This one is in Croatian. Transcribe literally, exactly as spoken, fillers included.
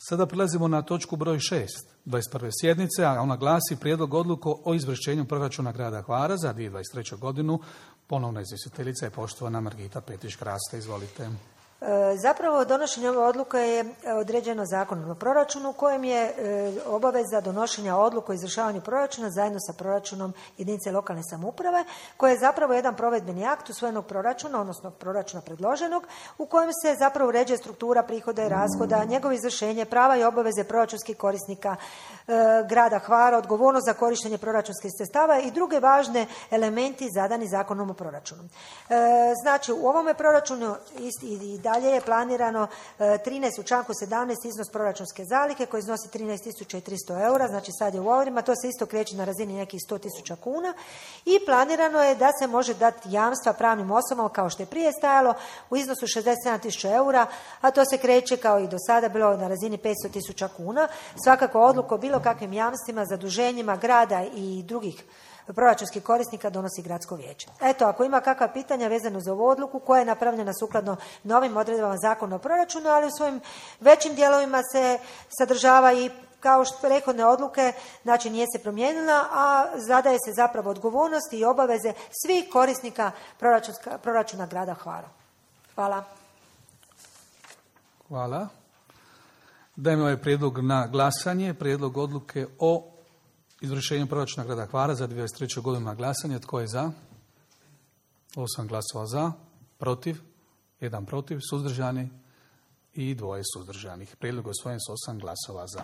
Sada prilazimo na točku broj šest, dvadeset prve sjednice, a ona glasi Prijedlog odluke o izvršenju proračuna grada Hvara za dvije tisuće dvadeset treću godinu. Ponovna izvjestiteljica je poštovana Margita Petić-Kraste. Izvolite. Zapravo donošenje ove odluke je određeno zakonom o proračunu kojem je obaveza donošenja odluke o izvršavanju proračuna zajedno sa proračunom jedinice lokalne samouprave, koje je zapravo jedan provedbeni akt usvojenog proračuna, odnosno proračuna predloženog, u kojem se zapravo uređuje struktura prihoda i rashoda, njegovo izvršenje, prava i obaveze proračunskih korisnika grada Hvara, odgovornost za korištenje proračunskih sredstava i druge važne elementi zadani zakonom o proračunu. Znači, u ovome proračunu i dalje je planirano trinaest u članku sedamnaest iznos proračunske zalihe koji iznosi trinaest tisuća tristo eura, znači sad je u eurima, to se isto kreće na razini nekih sto tisuća kuna i planirano je da se može dati jamstva pravnim osobama kao što je prije stajalo u iznosu šezdeset sedam tisuća eura, a to se kreće kao i do sada bilo na razini petsto tisuća kuna. Svakako odluku o bilo kakvim jamstvima, zaduženjima grada i drugih proračunskih korisnika donosi gradsko vijeće. Eto, ako ima kakva pitanja vezano za ovu odluku koja je napravljena sukladno novim odredbama zakona o proračunu, ali u svojim većim dijelovima se sadržava i kao što prethodne odluke, znači nije se promijenila, a zadaje se zapravo odgovornost i obaveze svih korisnika proračuna grada Hvara. Hvala. Hvala. Dajem ovaj prijedlog na glasanje. Prijedlog odluke o izvršenju proračuna grada Hvara za dvije tisuće dvadeset treću godinu na glasanje. Tko je za? Osam glasova za, protiv, jedan protiv, suzdržani i dvoje suzdržanih. Prijedlog je usvojen s osam glasova za.